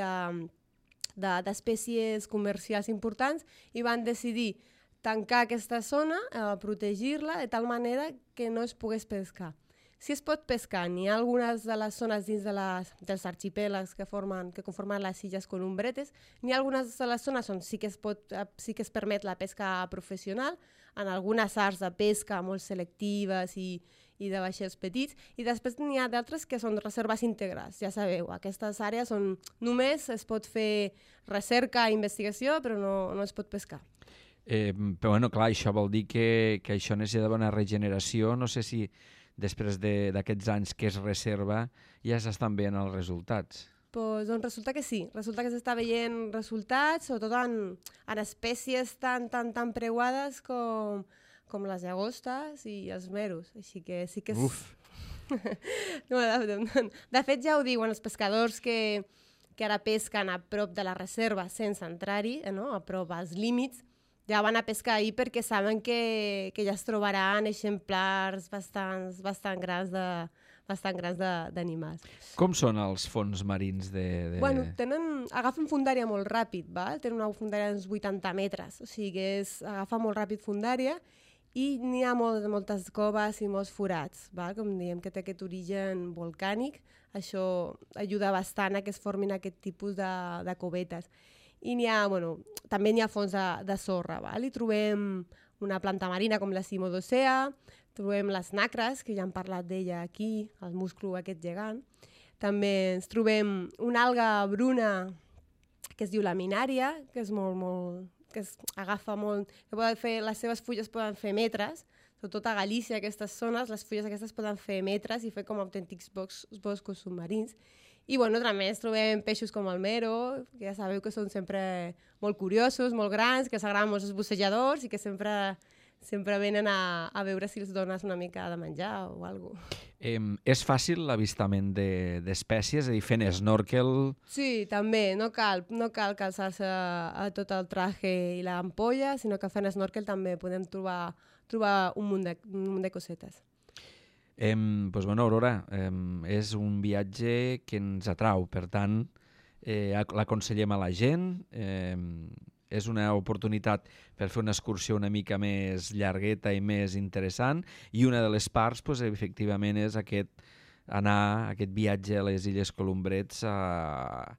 d'espècies comercials importants i van decidir tancar aquesta zona, protegir-la de tal manera que no es pogués pescar. Si es pot pescar, n'hi ha algunes de les zones dins dels arxipèlags que conformen les Illes Columbretes, n'hi ha algunes de les zones on sí que es permet la pesca professional, en algunes arts de pesca molt selectives i de vaixells petits, i després n'hi ha d'altres que són reserves integrals. Ja sabeu, aquestes àrees on només es pot fer recerca i investigació, però no es pot pescar. Però clar, això vol dir que això necessita una regeneració. No sé si després d'aquests anys que es reserva ja s'estan veient els resultats. Doncs resulta que sí, resulta que s'està veient resultats, sobretot en espècies tan preuades com les llagostes i els meros, així que sí que és... Uf! De fet, ja ho diuen els pescadors que ara pesquen a prop de la reserva sense entrar-hi, a prop als límits, ja van a pescar ahir perquè saben que ja es trobaran exemplars bastant grans d'animals. Com són els fons marins agafen fondària molt ràpid, tenen una fondària d'uns 80 metres, o sigui que agafa molt ràpid fondària i n'hi ha moltes coves i molts forats, com diem que té aquest origen volcànic, això ajuda bastant a que es formin aquest tipus de covetes. I també n'hi ha fons de sorra, hi trobem una planta marina com la Cimodocea, trobem les nacres, que ja hem parlat d'ella aquí, el musclo aquest gegant. També ens trobem una alga bruna que es diu laminària, que és que agafa molt, que les seves fulles poden fer metres, sobretot a Galícia, aquestes zones, les fulles aquestes poden fer metres i fer com autèntics boscos submarins. I, bueno, a més trobem peixos com el mero, que ja sabeu que són sempre molt curiosos, molt grans, que s'agraden molts els bussejadors i que sempre venen a veure si els dones una mica de menjar o alguna cosa. És fàcil l'avistament d'espècies, és a dir, fent snorkel... Sí, també. No cal calçar-se a tot el traje i l'ampolla, sinó que fent snorkel també podem trobar un munt de cosetes. Doncs, bueno, Aurora, és un viatge que ens atrau, per tant, l'aconsellem a la gent, és una oportunitat per fer una excursió una mica més llargueta i més interessant, i una de les parts, doncs, efectivament, és anar aquest viatge a les Illes Colombrets a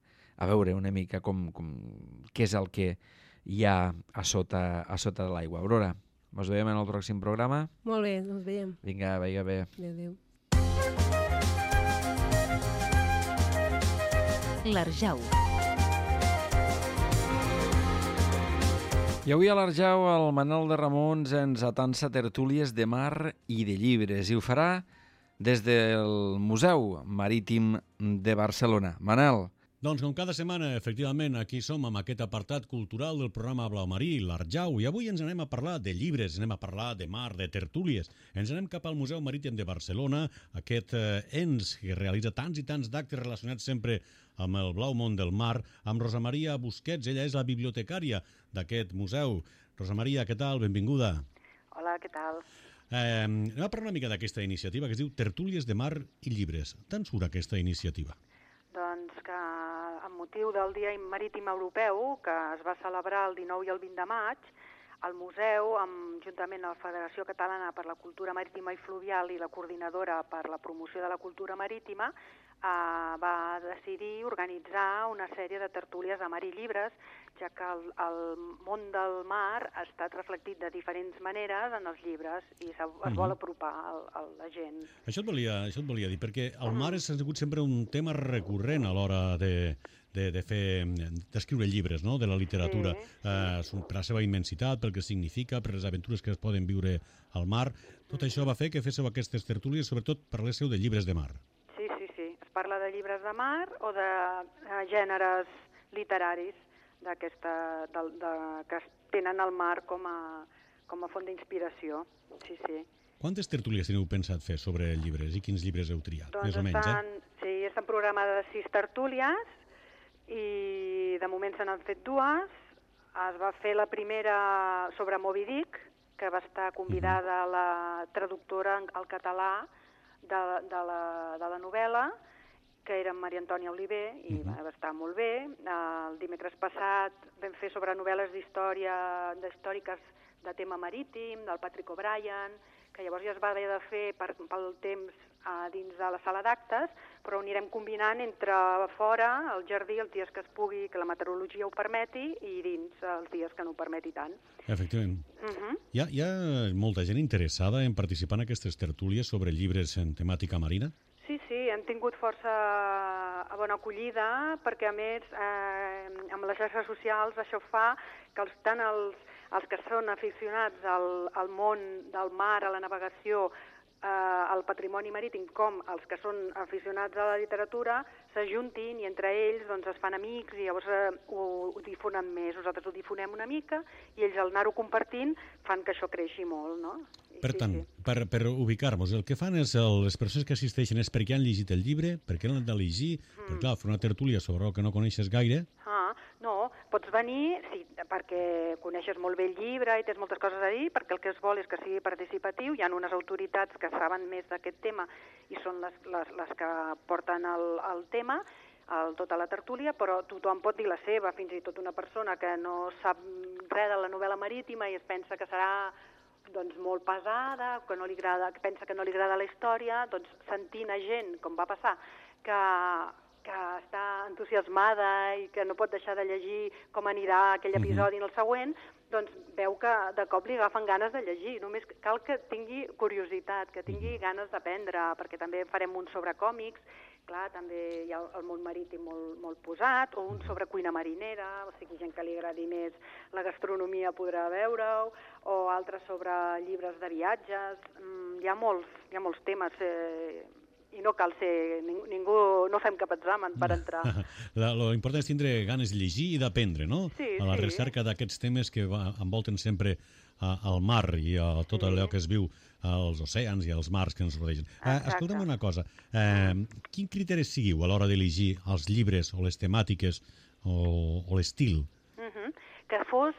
veure una mica què és el que hi ha a sota de l'aigua. Aurora, ens veiem en el pròxim programa. Molt bé, ens veiem. Vinga, vagi bé. Adéu. L'Arjau. I avui a l'Arjau el Manel de Ramons ens atansa tertúlies de mar i de llibres, i ho farà des del Museu Marítim de Barcelona. Manel. Doncs com cada setmana, efectivament, aquí som amb aquest apartat cultural del programa Blau Marí, l'Arjau, i avui ens anem a parlar de llibres, anem a parlar de mar, de tertúlies. Ens anem cap al Museu Marítim de Barcelona, aquest ens que realitza tants i tants d'actes relacionats sempre amb el blau món del mar, amb Rosa Maria Busquets, ella és la bibliotecària d'aquest museu. Rosa Maria, què tal? Benvinguda. Hola, què tal? Anem a parlar una mica d'aquesta iniciativa que es diu Tertúlies de Mar i Llibres. D'on surt aquesta iniciativa? Doncs que amb motiu del Dia Marítim Europeu, que es va celebrar el 19 i el 20 de maig, el museu, juntament amb la Federació Catalana per la Cultura Marítima i Fluvial i la Coordinadora per la Promoció de la Cultura Marítima, va decidir organitzar una sèrie de tertúlies de mar i llibres, ja que el món del mar ha estat reflectit de diferents maneres en els llibres i es vol apropar a la gent. Això et volia dir, perquè el mar ha sigut sempre un tema recurrent a l'hora d'escriure llibres, no?, de la literatura, per la seva immensitat, pel que significa, per les aventures que es poden viure al mar. Tot això va fer que féssiu aquestes tertúlies, sobretot parléssiu de llibres de mar. Sí. Es parla de llibres de mar o de gèneres literaris que tenen el mar com a font d'inspiració. Sí. Quantes tertúlies teniu pensat fer sobre llibres i quins llibres heu triat? Doncs més o menys, Sí, estan programades 6 tertúlies i de moment se n'han fet 2. Es va fer la primera sobre Moby Dick, que va estar convidada la traductora al català de la novel·la, que era Maria Antònia Oliver, i va estar molt bé. El dimecres passat vam fer sobre novel·les històriques de tema marítim, del Patrick O'Brien, que llavors ja es va haver de fer pel temps dins de la sala d'actes, però ho anirem combinant entre fora, al jardí, els dies que es pugui, que la meteorologia ho permeti, i dins els dies que no ho permeti tant. Efectivament. Hi ha molta gent interessada en participar en aquestes tertúlies sobre llibres en temàtica marina? Sí, hem tingut força bona acollida, perquè a més amb les xarxes socials això fa que tant els que són aficionats al món del mar, a la navegació, al patrimoni marítim, com els que són aficionats a la literatura, s'ajuntin i entre ells es fan amics i llavors ho difonen més. Nosaltres ho difonem una mica i ells al anar-ho compartint fan que això creixi molt, no? Per tant, per ubicar-nos, el que fan és les persones que assisteixen és perquè han llegit el llibre, perquè l'han de llegir, perquè clar, fer una tertúlia sobre el que no coneixes gaire. No, pots venir perquè coneixes molt bé el llibre i tens moltes coses a dir, perquè el que es vol és que sigui participatiu. Hi ha unes autoritats que saben més d'aquest tema i són les que porten el tema, tota la tertúlia, però tothom pot dir la seva, fins i tot una persona que no sap res de la novel·la marítima i es pensa que serà molt pesada, que pensa que no li agrada la història, sentint a gent, com va passar, que està entusiasmada i que no pot deixar de llegir com anirà aquell episodi en el següent, doncs veu que de cop li agafen ganes de llegir. Només cal que tingui curiositat, que tingui ganes d'aprendre, perquè també farem un sobre còmics, clar, també hi ha el món marítim molt posat, o un sobre cuina marinera, o sigui, gent que li agradi més la gastronomia podrà veure-ho, o altres sobre llibres de viatges. Hi ha molts temes. i no cal ser, ningú, no fem cap examen per entrar. Lo important és tindre ganes de llegir i d'aprendre, no? Sí, a la sí. recerca d'aquests temes que envolten sempre al mar i a tot allò que es viu als oceans i als mars que ens rodegen. Escolta'm una cosa, quin criteri seguiu a l'hora d'elegir els llibres o les temàtiques o l'estil? Que fos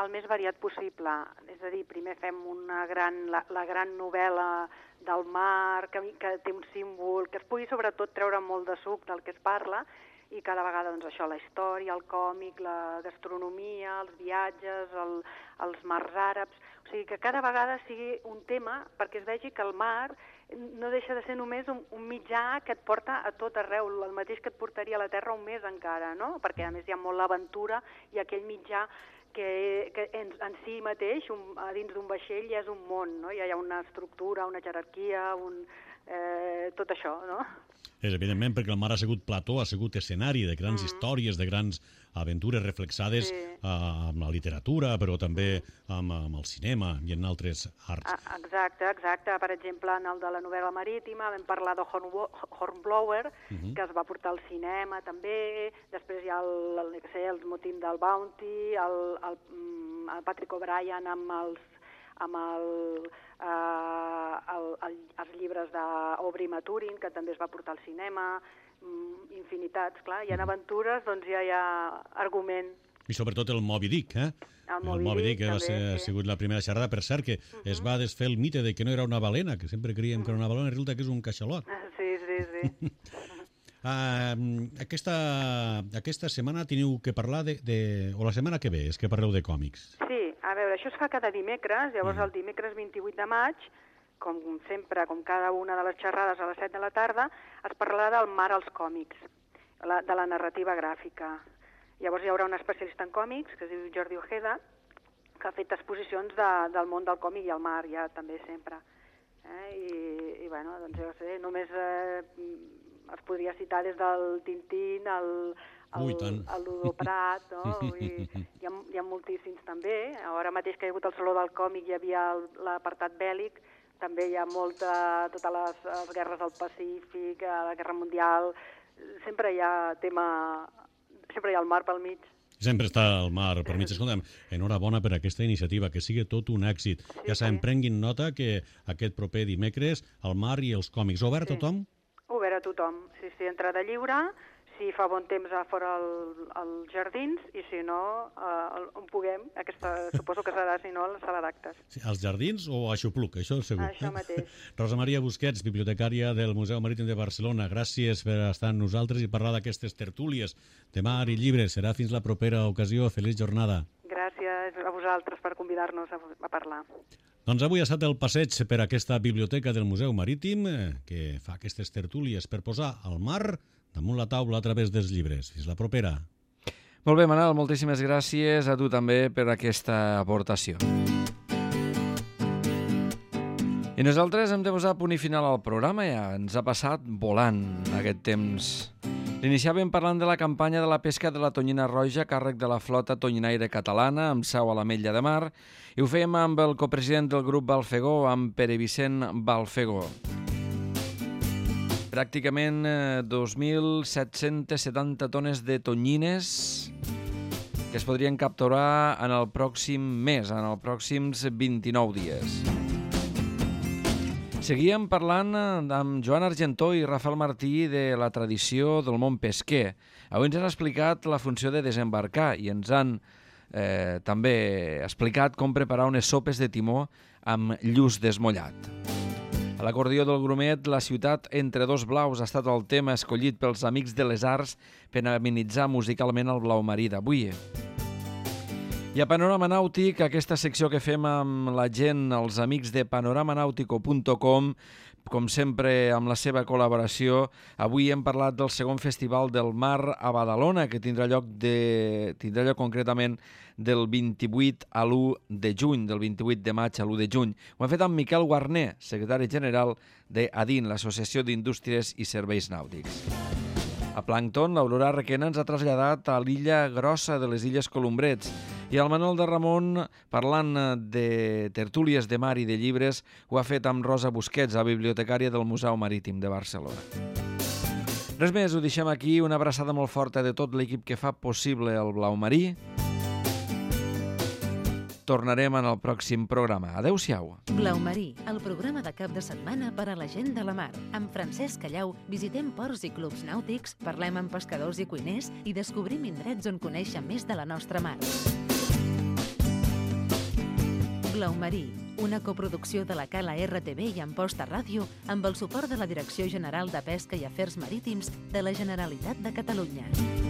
el més variat possible. És a dir, primer fem la gran novel·la del mar, que té un símbol, que es pugui sobretot treure molt de suc del que es parla, i cada vegada doncs, això, la història, el còmic, la gastronomia, els viatges, els mars àrabs... O sigui, que cada vegada sigui un tema perquè es vegi que el mar no deixa de ser només un mitjà que et porta a tot arreu, el mateix que et portaria a la Terra un mes encara, no? Perquè a més hi ha molt l'aventura i aquell mitjà que en si mateix, a dins d'un vaixell, ja és un món, no? Ja hi ha una estructura, una jerarquia, tot això, no? És evidentment perquè el mar ha sigut plató, ha sigut escenari de grans històries, de grans aventures reflexades amb la literatura, però també amb el cinema i en altres arts. Exacte. Per exemple, en el de la novel·la marítima vam parlar de Hornblower, que es va portar al cinema també. Després hi ha el motim del Bounty, el Patrick O'Brien amb els llibres d'Aubrey Maturin, que també es va portar al cinema, infinitats, clar. Hi ha aventures, doncs ja hi ha argument. I sobretot el Moby Dick, El Moby Dick ha sigut la primera xerrada. Per cert, que es va desfer el mite de que no era una balena, que sempre creiem que era una balena, i resulta que és un caixalot. Sí. Aquesta setmana teniu que parlar o la setmana que ve, és que parleu de còmics. Sí, a veure, això es fa cada dimecres, llavors el dimecres 28 de maig, com sempre, com cada una de les xerrades a les 7 de la tarda, es parlarà del mar als còmics, de la narrativa gràfica. Llavors hi haurà un especialista en còmics, que es diu Jordi Ojeda, que ha fet exposicions del món del còmic i el mar, ja també sempre. I bueno, doncs jo sé, només es podria citar des del Tintín, el Ludo Prat, no? Hi ha moltíssims també. Ara mateix que hi ha hagut el Saló del Còmic hi havia l'apartat bèl·lic, també hi ha totes les guerres del Pacífic, la Guerra Mundial, sempre hi ha el mar pel mig. Sempre està el mar per mig. Escolta'm, enhorabona per aquesta iniciativa, que sigui tot un èxit. Ja sabem, prenguin nota que aquest proper dimecres el mar i els còmics. Obert a tothom? Obert a tothom, sí, entrada lliure, si fa bon temps a fora als jardins, i si no, on puguem, suposo que serà, si no, a la sala d'actes. Sí, als jardins o a Xupluc, això segur. Això mateix. Rosa Maria Busquets, bibliotecària del Museu Marítim de Barcelona, gràcies per estar amb nosaltres i parlar d'aquestes tertúlies de mar i llibres. Serà fins la propera ocasió. Feliç jornada. Gràcies a vosaltres per convidar-nos a parlar. Doncs avui ha estat el passeig per aquesta biblioteca del Museu Marítim que fa aquestes tertúlies per posar el mar damunt la taula a través dels llibres. Fins la propera. Molt bé, Manel, moltíssimes gràcies a tu també per aquesta aportació. I nosaltres hem de posar punt i final al programa, ja ens ha passat volant aquest temps. L'iniciàvem parlant de la campanya de la pesca de la tonyina roja a càrrec de la flota tonyinaire catalana amb seu a l'Ametlla de Mar, i ho fèiem amb el copresident del grup Balfegó, amb Pere Vicent Balfegó. Pràcticament 2.770 tones de tonyines que es podrien capturar en el pròxim mes, en els pròxims 29 dies. Seguíem parlant amb Joan Argentó i Rafael Martí de la tradició del món pesquer. Avui ens han explicat la funció de desembarcar i ens han també explicat com preparar unes sopes de timó amb lluç desmollat. A l'acordió del Grumet, la ciutat entre dos blaus ha estat el tema escollit pels Amics de les Arts per amenitzar musicalment el blau marí d'avui. I a Panorama Nàutic, aquesta secció que fem amb la gent, els amics de panoramanautico.com, com sempre amb la seva col·laboració, avui hem parlat del segon Festival del Mar a Badalona, que tindrà lloc concretament del 28 a l'1 de juny, del 28 de maig a l'1 de juny. Ho hem fet amb Miquel Guarner, secretari general d'ADIN, l'Associació d'Indústries i Serveis Nàutics. A Plàncton, l'Aurora Requena ens ha traslladat a l'illa grossa de les Illes Colombrets I el Manuel de Ramon, parlant de tertúlies de mar i de llibres, ho ha fet amb Rosa Busquets, la bibliotecària del Museu Marítim de Barcelona. Res més, ho deixem aquí. Una abraçada molt forta de tot l'equip que fa possible el Blau Marí. Tornarem en el pròxim programa. Adéu-siau. Blau Marí, el programa de cap de setmana per a la gent de la mar. Amb Francesc Callau visitem ports i clubs nàutics, parlem amb pescadors i cuiners i descobrim indrets on conèixer més de la nostra mar. Blau Marí, una coproducció de la Cala RTV i Amposta Ràdio amb el suport de la Direcció General de Pesca i Afers Marítims de la Generalitat de Catalunya.